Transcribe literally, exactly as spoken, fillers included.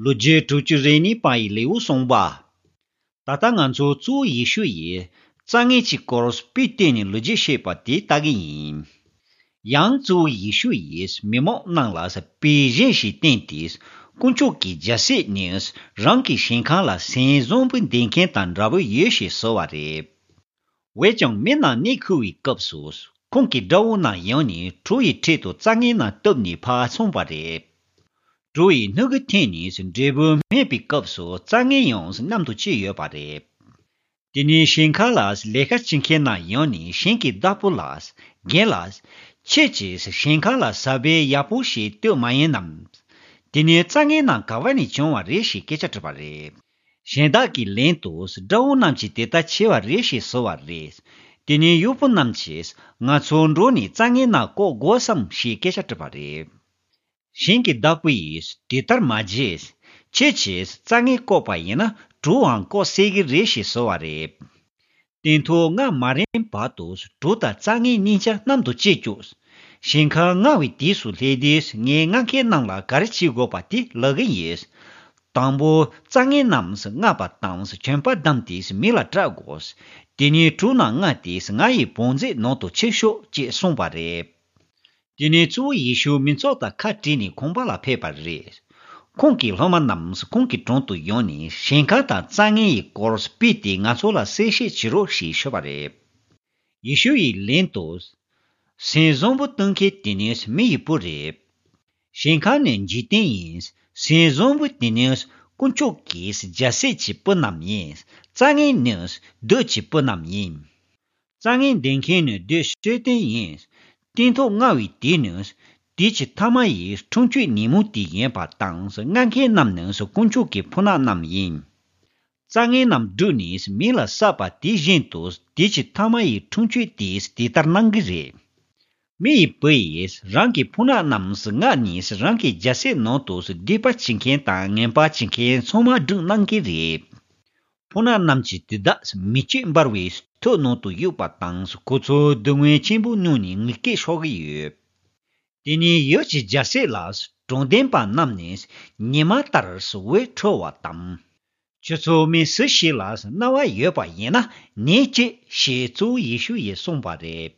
ལོ་རྒྱུས་དྲུག་ཅུ་རེ་གཉིས་པ་ཡི་ལེའུ་གསུངས་པ། ད་ལྟ་ང་ཚོ་གཙོ་བོ་ཡེ་ཤུ་ཡིས་རྩྭ་ངན་གྱི་སྐོར་དཔེ་བསྟན་ནས་ལོ་རྒྱུས་བཤད་པ་དེ་ལྟ་གི་ཡིན། ཡང་གཙོ་བོ་ཡེ་ཤུ་ཡིས་མི་མང་རྣམས་ལ་དཔེ་གཞན་ཞིག་བསྟན་ཏེ། དཀོན་མཆོག་གི་རྒྱལ་སྲིད་ནི་རང་གི་ཞིང་ཁ་ལ་སོན་བཟང་པོ་འདེབས་མཁན་དང་འདྲ་བོ་ཡོད་ཞེས་ཟེར་བ་རེད། འོན་ཀྱང་མི་རྣམས་གནས་ཁུལ་བའི་སྐབས་སུ། ཁོང་གི་དགྲ་བོ་རྣམས་ཡོང་ནས་གྲོ་ཡི་ཁྲོད་དུ་རྩྭ་ངན་རྣམས་གཏུབས་ནས་ཕར་སོང་བ་རེད། གྲོ་ཡི་སྣུག་གིས་འཐེན་ནས་འབྲས་བུ་སྨིན་པའི་སྐབས་སུ་རྩྭ་ངན་ཡང་མཉམ་དུ་སྐྱེས་ཡོད་པ་རེད། དེ་ནས་ཞིང་ཁ་ལ་ལས་ཀ་བྱེད་མཁན་རྣམས་ཡོང་ནས་ཞིང་གི་བདག་པོ་ལ། རྒན་ལགས། ཁྱེད་ཀྱིས་ཞིང་ཁ་ལ་ས་བོན་ཡག་པོ་ཞིག་གཏོད་མ་ཡིན་ནམ། དེ་ནས་རྩྭ་ངན་རྣམས་ག་བ་ནས་བྱུང་བ་རེད་ཞེས་སྐད་ཆ་དྲིས་པ་རེད། གཞན་དག་གིས་ལན་དུ། དགྲ་བོ་རྣམས་ཀྱིས་དེ་ལྟར་བྱས་པ་རེད་ཞེས་ཟེར་བ་རེད། དེ་ནས་གཡོག་པོ་རྣམས་ཀྱིས། ང་ཚོ་འགྲོ་ནས་རྩྭ་ངན་རྣམས་བཀོག་དགོས་སམ་ཞེས་སྐད་ཆ་དྲིས་པ་རེད། ཞིང་གི་བདག་པོ་ཡིས་དེ་ལྟར་མ་བྱས། ཁྱེད་ཀྱིས་རྩྭ་ངན་བཀོག་པ་ཡིན་ན་གྲོའང་བཀོག་སྲིད་ཀྱི་རེད་ཞེས་ཟེར་བ་རེད། སྟོན་ཐོག་ང་མ་རན་བར་དུ་གྲོ་དང་རྩྭ་ངན་གཉིས་ཆ་མཉམ་དུ་སྐྱེས་བཅུག་ཞིང་ཁ་བརྔ་བའི་དུས་སུ་སླེབས་དུས་ངས་བརྔ་མཁན་རྣམས་ལ་ག་རེ་བྱེད་དགོས་པ་དེ་ལབ་གི་ཡིན། དང་པོ། རྩྭ་ངན་རྣམས་བརྔ་བ་དང་གྱོན་པ་བསྡམས་ཏེ་མེ་ལ་བསྲེག་དགོས། དེ་ནས་གྲོ་རྣམས་བརྔས་ཏེ་ང་ཡི་བང་མཛོད་ནང་དུ་ཁྱེར་ཤོག་ཅེས་གསུངས་པ་རེད། དེ་ནས་གཙོ་བོ་ཡེ་ཤུ་མི་ཚོགས་དང་ཁ་བྲལ་ནས་ཁང་པ་ལ་ཕེབས་པ་རེད། ཁོང་གི་སློབ་མ་རྣམས་ཁོང་གི་དྲུང་དུ་ཡོང་ནས་ཞིང་ཁ་དང་རྩྭ་ངན་ཡི་སྐོར་དཔེ་དེ་ང་ཚོ་ལ་གསལ་བཤད་བྱེད་རོགས་ཞེས་ཞུས་པ་རེད། ཡེ་ཤུ་ཡིས་ལན་དུ། སོན་བཟང་པོ་གཏོད་མཁན་དེ་ནི་མི་ཡི་བུ་རེད། ཞིང་ཁ་ནི་འཇིག་རྟེན་ཡིན། སོན་བཟང་པོ་དེ་ནི་དཀོན་མཆོག་གི་རྒྱལ་སྲིད་ཀྱི་བུ་རྣམས་ཡིན། རྩྭ་ངན་ནི་བདུད་ཀྱི་བུ་རྣམས་ཡིན། རྩྭ་ངན་འདེབས་མཁན་ནི་བདུད་སྲོད་ལྡན་ཡིན། སྟོན་ཐོག་བརྔ་བའི་དུས་ནི། དུས་ཀྱི་ཐ་མ་ཡི་འཁྲུངས་མཆོད་ཉིན་མོ་དེ་ཡིན་པ་དང་བརྔ་མཁན་རྣམས་ནི་དཀོན་མཆོག་གི་ཕོ་ཉ་རྣམས་ཡིན། རྩྭ་ངན་རྣམས་བསྒྲུགས་ནས་མེ་ལ་བསྲེགས་པ་དེ་བཞིན་དུ་དུས་ཀྱི་ཐ་མ་ཡི་འཁྲུངས་མཆོད་དེས་དེ་ལྟར་གནང་གི་རེད། མི་ཡི་བུ་ཡིས་རང་གི་ཕོ་ཉ་རྣམས་བརྔས་ནས་རང་གི་རྒྱལ་སྲིད་ནང་དུ་སྡིག་པ་བྱེད་མཁན་དང་ངན་པ་བྱེད་མཁན་ཚང་མ་བསྒྲུགས་གནང་གི་རེད། ཕོ་ཉ་རྣམས་ཀྱིས་དེ་དག་མེ་ལྕེ་འབར་བའི་ཐོག་ནང་དུ་གཡུགས་པ་དང་ཁོ་ཚོ་སྡུག་བསྔལ་ཆེན་པོ་མྱོང་ནས་ངུ་སྐད་ཤོར་གྱི་ཡོད། དེ་ནས་ཡུལ་གྱི་རྒྱལ་སྲིད་ལ་དྲང་བདེན་པ་རྣམས་ནི་ཉི་མ་ལྟར་འོད་འཕྲོ་བ་དང་། ཁྱོད་ཚོ་མི་སུ་ཞིག་ལ་རྣ་བ་ཡོད་པ་ཡིན་ན་ཉན་ཅིག་ཞེས་གཙོ་བོ་ཡེ་ཤུ་ཡིས་གསུངས་པ་རེད།